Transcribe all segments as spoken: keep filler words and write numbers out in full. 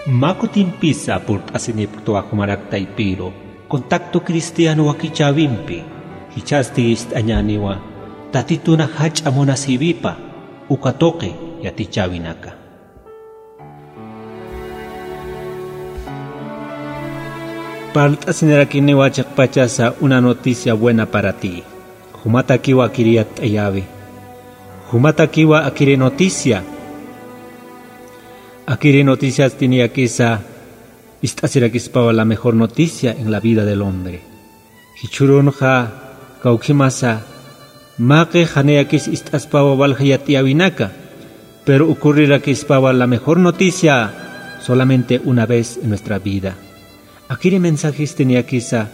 Mä kutimpisa purt'asinipktwa jumarak taypiru, Contacto Cristiano wakichäwimpi, jichhasti ist'añäniwa Tatituna jach'a munasïwipa uka tuqi yatichäwinaka. Parlt'asinirakiniwa chiqpachasa una noticia buena para ti. Jumatakiwa akiri yatt'ayäwi. Jumatakiwa akiri noticia. Akiri noticiasti niyakisa ist'asirakispawa la mejor noticia en la vida del hombre. Jichhürunxa kawkhimasa, mä qix janiyakis ist'aspawa walja yat'ayäwinaka, pero ocurrirakispawa la mejor noticia solamente una vez en nuestra vida. Akiri mensajesti niyakisa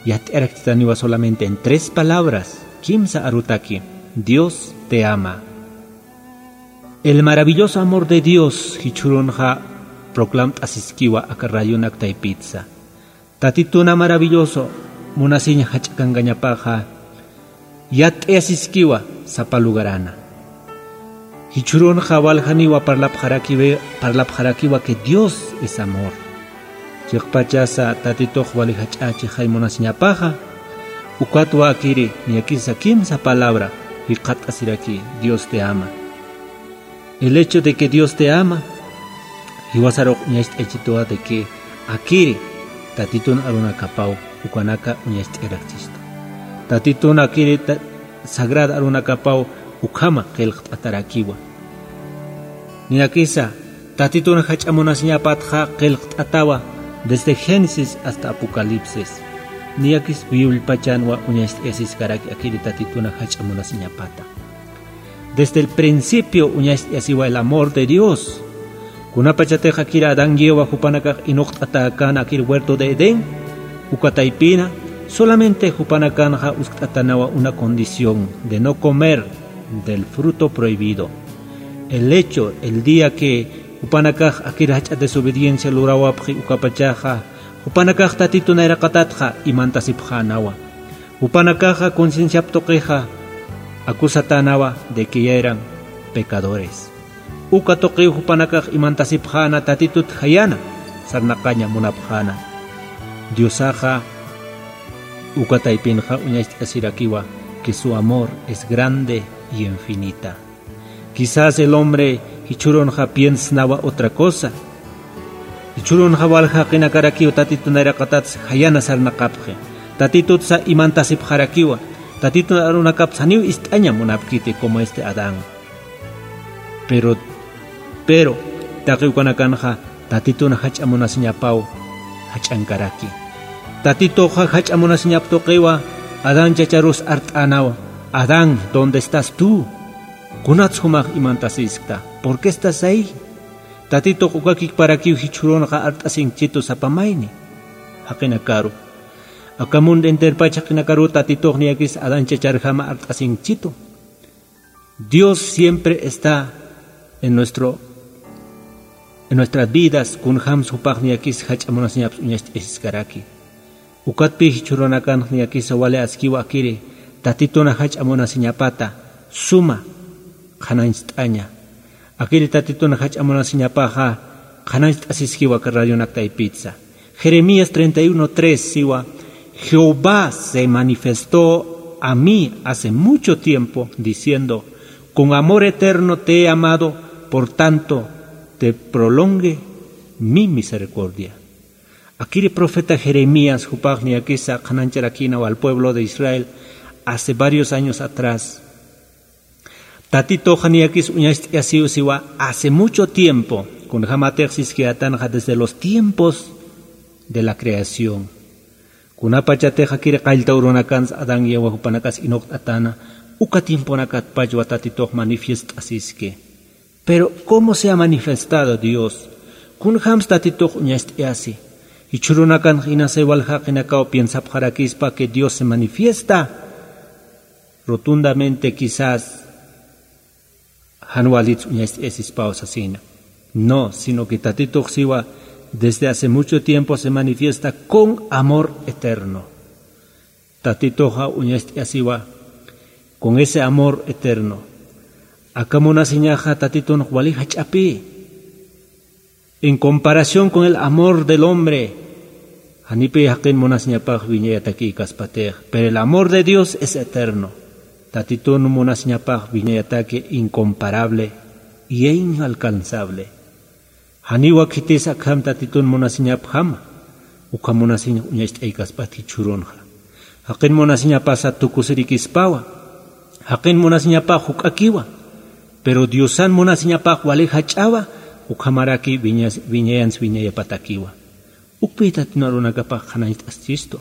yat'arakchitaniwa solamente en tres palabras, kimsa arutaki: Dios te ama. El maravilloso amor de Dios, jichhürunxa proclamt'asiskiwa aka radionak taypitsa. Tatituna maravilloso munasiñ jach'akankañapaxa, yatt'ayasiskiwa sapa lugarana. Jichhürunxa waljaniwa parlapxarakiwi-, parlapxarakiwa que Dios es amor. Chiqpachasa Tatitux wali jach'a chixay munasiñapaxa, ukatwa akiri niyakisa kimsa palabra jikxatt'asiraki: Dios te ama. El hecho de que Dios te ama, jiwasarux uñacht'aychituwa de que akiri Tatitun arunakapaw ukanaka uñacht'ayarakchistu. Tatitun akiri ta-, sagrada arunakapaw ukhama qillqt'atarakiwa. Niyakisa Tatitun jach'a munasiñapatxa qillqt'atawa desde Génesis hasta Apocalipsis. Niyakis Bibliapachanwa uñacht'ayasiskaraki akiri Tatitun jach'a munasiñapata. Desde el principio uñacht'ayasiwa el amor de Dios. Kunapachatix akiri Adán y Eva jupanakax inuqt'atäkän akir huerto de Edén, uka taypina, solamente jupanakanxa uskt'atanawa una condición de no comer del fruto prohibido. El hecho, el día que jupanakax akir jach'a desobediencia lurawapxi ukapachaxa, jupanakax Tatitu nayraqatatxa imantasipxänawa. Jupanakaxa concienciap tuqixa acusatänawa de que ya eran pecadores. Uka tuqiw jupanakax imantasipxäna Tatitut jayana sarnaqaña munapxäna. Diosaxa uka taypinxa uñacht'asirakiwa que su amor es grande y infinita. Quizás el hombre jichhürunxa piensnawa otra cosa. Jichhürunxa walja jaqinakarakiw Tatitu nayraqatatsa jayana sarnaqapxi. Tatitutsa imantasipxarakiwa. Tatitun arunakapsa janiw ist'aña munapkiti como este Adán. Pero, pero, taqi ukanakanxa Tatitun jach'a munasiñapaw jach'ankaraki. Tatituxa jach'a munasiñap tuqiwa Adán chacharus art'änawa: Adán, ¿dónde estás tú? ¿Kunats jumax imantasiskta? ¿Por qué estás ahí? Tatitux ukakikparakiw jichhürunxa art'asinkchitu sapa mayni. Jaqinakaru. Aka mundo enterpach jaqinakaru Tatitux niyakis Adán chacharjama art'asinkchitu. Dios siempre está en nuestro, en nuestras vidas, kunjams jupax niyakis jach'a munasiñaps uñacht'ayasiskaraki. Ukatpï jichhürunakanx niyakisa wali askiwa akiri, Tatitun jach'a munasiñapata suma qhanañcht'aña. Akiri Tatitun jach'a munasiñapaxa qhanañcht'asiskiwa aka radionak taypitsa. Jeremías treinta y uno tres siwa: Jehová se manifestó a mí hace mucho tiempo, diciendo: con amor eterno te he amado, por tanto te prolongue mi misericordia. Akiri profeta Jeremías jupax niyakisa qhanañch'arakïnawa al pueblo de Israel hace varios años atrás. Tatituxa niyakis uñacht'ayasiw siwa hace mucho tiempo, kunjamatix siskiyätanxa desde los tiempos de la creación. Kunapachatix akiri qallta urunakansa Adán y Eva jupanakas inuqt'atäna, uka tiemponakatpachwa Tatitux manifiest'asiski. Pero, ¿cómo se ha manifestado Dios? Kunjams Tatitux uñacht'ayasi. Jichhürunakanx inasa wal jaqinakaw piensapxarakispa que Dios se manifiesta rotundamente, quizás jan walits uñacht'ayasispaw sasina. No, sino que Tatitux siwa desde hace mucho tiempo se manifiesta con amor eterno. Tatituxa uñacht'ayasiwa con ese amor eterno. Aka munasiñaxa Tatitun wali jach'apï. En comparación con el amor del hombre, janipi jaqin munasiñapax wiñayatakïkaspatix, pero el amor de Dios es eterno. Tatitun munasiñapax wiñayataki incomparable y inalcanzable. Janiw khitis akham Tatitun munasiñapjama, ukham munasiñ uñacht'ayaskpatki jichhürunxa. Jaqin munasiñapasa tukusirikispawa, jaqin munasiñapax juk'akiwa, pero Diosan munasiñapax wali jach'awa, ukhamaraki wiñas-, wiñayansa wiñayapatakiwa. Ukpï Tatitun arunakapax qhanañcht'asistu.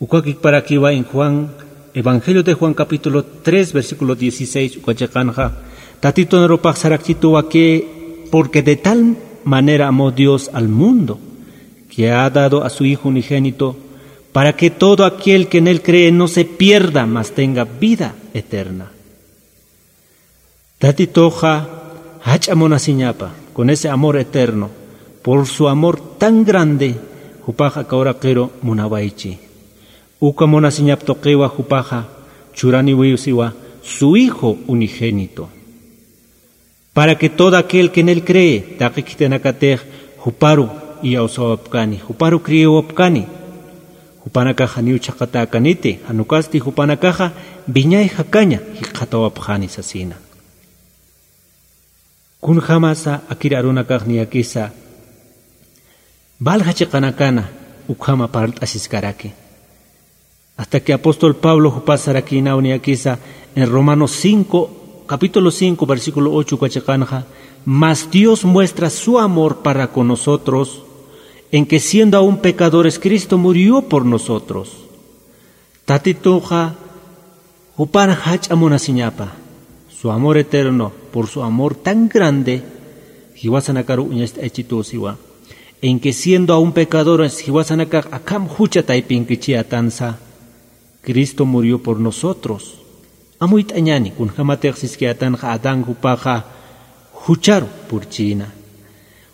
Uka jikparakiwa en Juan, Evangelio de Juan capítulo tres, versículo dieciséis, uka chiqanxa, Tatitun arupax sarakchituwa que, porque de tal manera amó Dios al mundo, que ha dado a su Hijo unigénito, para que todo aquel que en él cree no se pierda, mas tenga vida eterna. Tatituxa jach'a munasiñapa, con ese amor eterno, por su amor tan grande, jupax aka uraqiru munawaychi. Uka munasiñap tuqiwa jupaxa churaniwiw siwa su Hijo unigénito. Para que todo aquel que en él cree, taqi khitinakatix juparu iyawsawapkani, juparu creewapkani, jupanakax janiw chhaqatäkaniti, jan ukasti jupanakaxa wiñay jakaña jikxatawapxani sasina. Kunjamasa akir arunakax niyakisa, valja chiqanakana ukhama parlt'asiskaraki. Hasta que apóstol Pablo jupas sarakïnaw niyakisa en Romanos cinco, capítulo cinco, versículo ocho uka chiqanxa, mas Dios muestra su amor para con nosotros, en que siendo aún pecadores, Cristo murió por nosotros. Tatituxa jupar jach'a munasiñapa, su amor eterno, por su amor tan grande, jiwasanakaru uñacht'ayachituw siwa, en que siendo aún pecadores, jiwasanakax akham jucha taypinkichiyätansa, Cristo murió por nosotros. Amuyt'añäni, kunjamatix siskiyätanxa Adán jupaxa jucharu purchïna.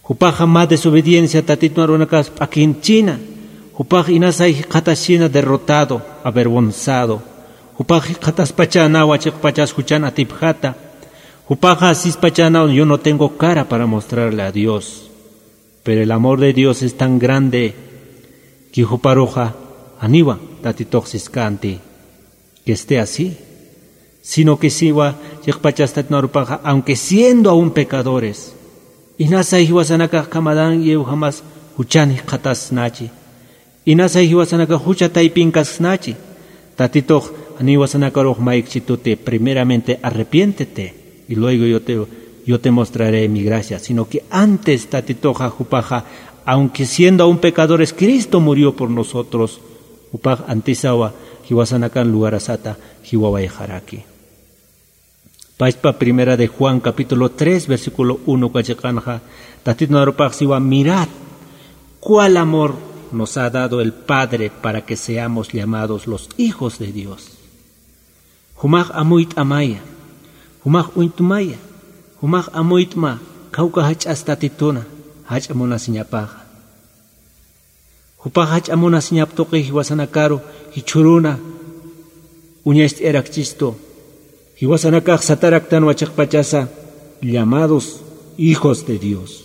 Jupaxa mä desobediencia Tatitun arunakax p'akinchïna. Jupax inasay jikxataschïna derrotado, avergonzado. Jupax jikxataspachänawa chiqpachas juchan atipjata. Jupaxa sispachänaw, yo no tengo cara para mostrarle a Dios. Pero el amor de Dios es tan grande que juparuxa janiwa Tatitux siskänti que esté así, sino que siwa chiqpachas Tatitun arupaxa, aunque siendo aún pecadores, inasay jiwasanakax akham Adán y Evajamas juchan jikxatasnachi, inasay jiwasanakax jucha taypinkasnachi, Tatitux janiw jiwasanakarux maykchituti, primeramente arrepiéntete, y luego yo te, yo te mostraré mi gracia, sino que antes Tatituxa jupaxa, aunque siendo aún pecadores, Cristo murió por nosotros, jupax antisawa jiwasanakan lugarasata jiwawayxaraki. Pachpa Primera de Juan capítulo tres, versículo uno uka chiqanxa, Tatitun arupax siwa, mirad cuál amor nos ha dado el Padre para que seamos llamados los hijos de Dios. Jumax amuyt'amaya, jumax uñt'maya, jumax amuyt'ma, kawka jach'as Tatituna jach'a munasiñapaxa. Jupax jach'a munasiñap tuqi jiwasanakaru jichhüruna uñacht'ayarakchistu. Jiwasanakax sataraktanwa chiqpachasa, llamados hijos de Dios.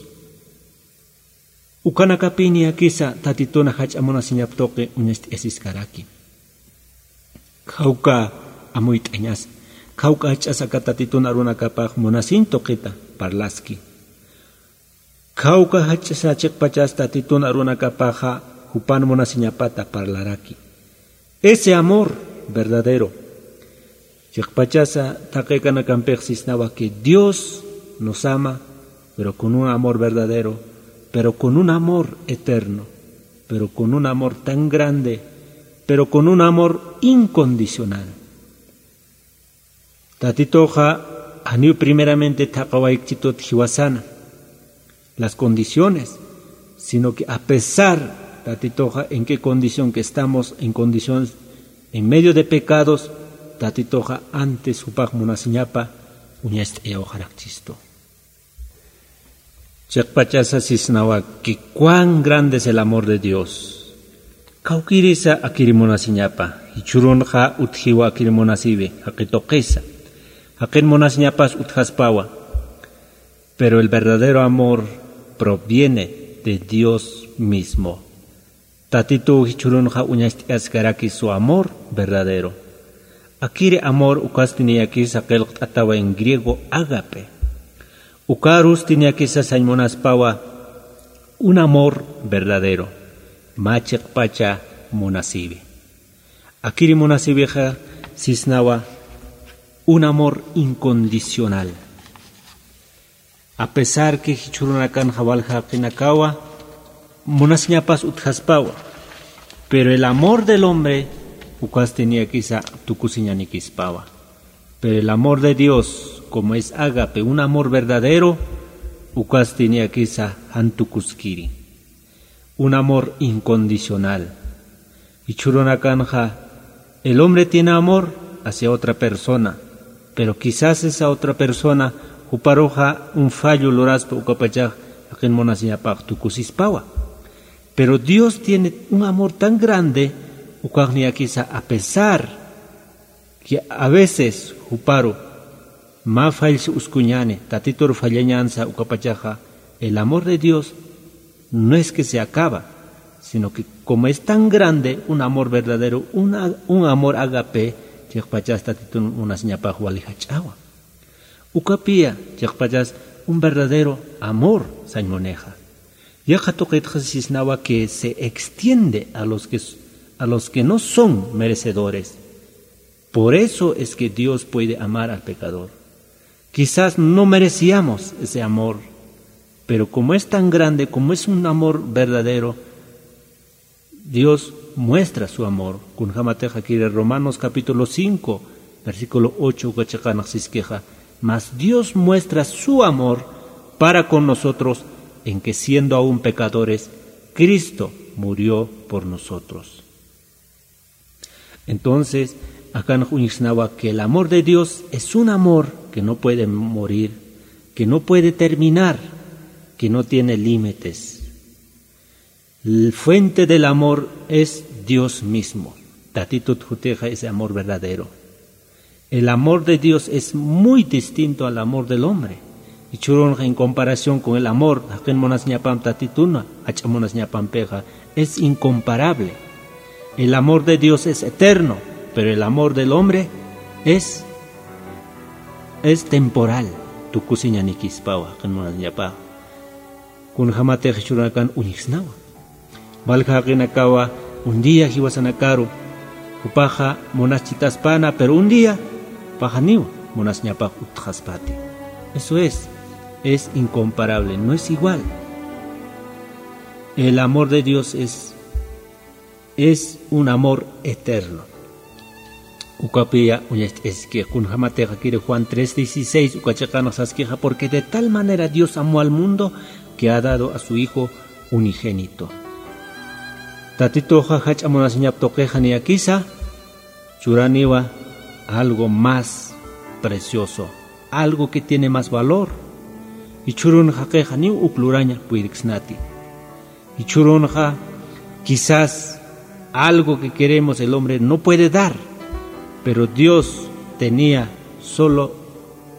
Ukanakapï niyakisa Tatituna jach'a munasiñap tuqi uñacht'ayasiskaraki. Kawka amuyt'añas, kawka jach'as aka Tatitun arunakapax munasiñ tuqita parlaski. Kawka jach'asa chiqpachas Tatitun arunakapaxa jupan munasiñapata parlaraki. Ese amor verdadero. Chiqpachasa taqi kanakampix sisnawa que Dios nos ama, pero con un amor verdadero, pero con un amor eterno, pero con un amor tan grande, pero con un amor incondicional. Tatituxa janiw primeramente thaqhawaykchitut jiwasana las condiciones, sino que a pesar Tatituxa en qué condición que estamos, en condiciones en medio de pecados, Tatituxa antes jupax munasiñapa uñacht'ayawxarakchistu. Chiqpachasa sisnawaki, cuán grande es el amor de Dios. Kawkïrisa akir munasiñapa, jichhürunxa utjiwa akir munasiwi, jaqi tuqisa. Jaqin munasiñapas utjaspawa. Pero el verdadero amor proviene de Dios mismo. Tatitu jichhürunxa uñacht'askaraki su amor verdadero. Akiri amor ukasti niyakisa qillqt'atawa en griego ágape. Ukarusti niyakisa sañ munaspawa un amor verdadero, mä chiqpacha munasiwi. Akiri munasiwixa sisnawa un amor incondicional. A pesar que jichhürunakanxa walja jaqinakawa munasiñapas utjaspawa, pero el amor del hombre ukasti niyakisa tukusiñanikispawa. Pero el amor de Dios, como es ágape, un amor verdadero, ukasti niyakisa jan tukuskiri. Un amor incondicional. Jichhürunakanxa, el hombre tiene amor hacia otra persona, pero quizás esa otra persona juparuxa un fallo luraspa ukapachax jaqin munasiñapax tukusispawa. Pero Dios tiene un amor tan grande, ukax niyakisa a pesar que a veces juparu mä fallsa uskuñäni, Tatitur fallañänsa ukapachaxa, el amor de Dios no es que se acaba, sino que como es tan grande, un amor verdadero, un a-, un amor ágape, chiqpachas Tatitun munasiñapax wali jach'awa. Ukapiya, chiqpachas un verdadero amor sañ munixa. Yaqha tuqitxa sisnawa que se extiende a los que s-, a los que no son merecedores. Por eso es que Dios puede amar al pecador. Quizás no merecíamos ese amor, pero como es tan grande, como es un amor verdadero, Dios muestra su amor. Kunjamatix akiri Romanos capítulo cinco, versículo ocho uka chiqanx siskixa: "Mas Dios muestra su amor para con nosotros en que siendo aún pecadores, Cristo murió por nosotros". Entonces, akanx uñjsnawa que el amor de Dios es un amor que no puede morir, que no puede terminar, que no tiene límites. El fuente del amor es Dios mismo. Tatitut jutixa ese amor verdadero. El amor de Dios es muy distinto al amor del hombre. Jichhürunxa en comparación con el amor jaqin munasiñapamp Tatituna jach'a munasiñapampixa, es incomparable. El amor de Dios es eterno, pero el amor del hombre es, es temporal. Tukusiñanikispawa jaqin munasiñapax. Kunjamatix jichhürunakan uñjsnawa. Walja jaqinakawa un día jiwasanakaru jupaxa munaschitaspäna, pero un día jupaxa niwa munasiñapax utjaspati. Eso es, es incomparable, no es igual. El amor de Dios es, es un amor eterno. Ukapiya uñacht'aski, kunjamatix akiri Juan tres dieciséis uka chiqanx saskixa: "Porque de tal manera Dios amó al mundo que ha dado a su Hijo unigénito". Tatituxa jach'a munasiñap tuqixa niyakisa churaniwa algo más precioso, algo que tiene más valor. Jichhürun jaqixa niw uk luraña puyirksnati. Jichhürunxa, quizás algo que queremos el hombre no puede dar, pero Dios tenía solo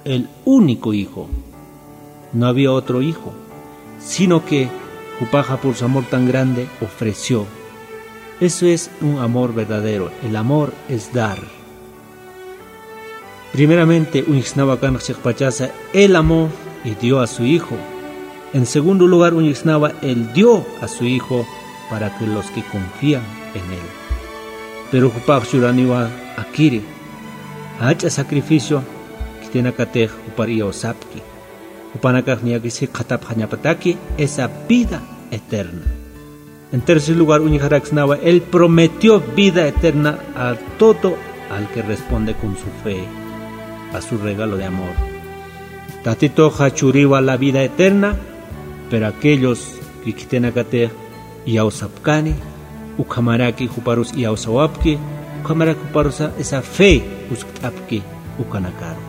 el único hijo. No había otro hijo, sino que jupaxa por su amor tan grande ofreció. Eso es un amor verdadero. El amor es dar. Primeramente, uñjsnawa akanx chiqpachasa, Él amó y dio a su Hijo. En segundo lugar, uñjsnawa, Él dio a su Hijo para que los que confían en Él. Pero jupax churaniwa akiri, jach'a sacrificio khitinakatix jupar iyawsapki. Jupanakax niyakis jikxatapxañapataki esa vida eterna. En tercer lugar, uñjaraksnawa, Él prometió vida eterna a todo al que responde con su fe a su regalo de amor. Tatituxa churiwa la vida eterna, pero aquellos que khitinakatix iyawsapkani, ukhamaraki juparus iyawsawapki, ukhamaraki juparusa esa fe uskt'apki ukanakaru.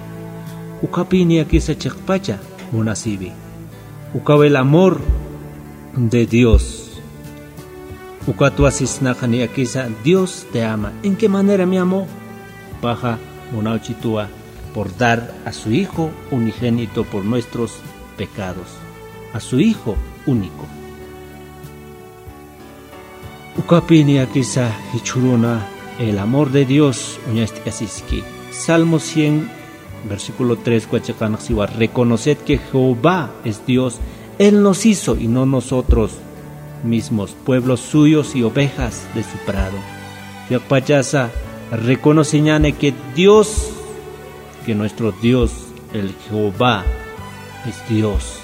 Ukapi niyakisa chiqpacha munasiwi. Ukaw el amor de Dios. Ukatwa sisnaxa niyakisa, Dios te ama. ¿En qué manera me amó? Jupaxa munawchituwa por dar a su Hijo unigénito por nuestros pecados. A su Hijo único. Ukapi niyakisa jichhüruna el amor de Dios uñacht'asiski. Salmo cien, versículo tres, kuchiqanxsiwa: "Reconoced que Jehová es Dios, Él nos hizo y no nosotros mismos, pueblos suyos y ovejas de su prado". Chiqpachasa reconociñäni que Dios, que nuestro Dios, el Jehová, es Dios.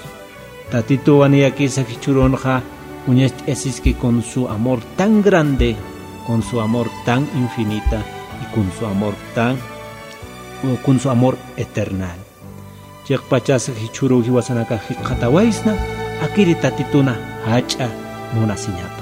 Tatituwa niyakisa jichhürunxa uñacht'asiski con su amor tan grande, con su amor tan infinita y con su amor tan, o con su amor eternal. Chiqpachasa jichhüruw jiwasanaka jikxatawaysna, akiri Tatituna jach'a munasiñapa.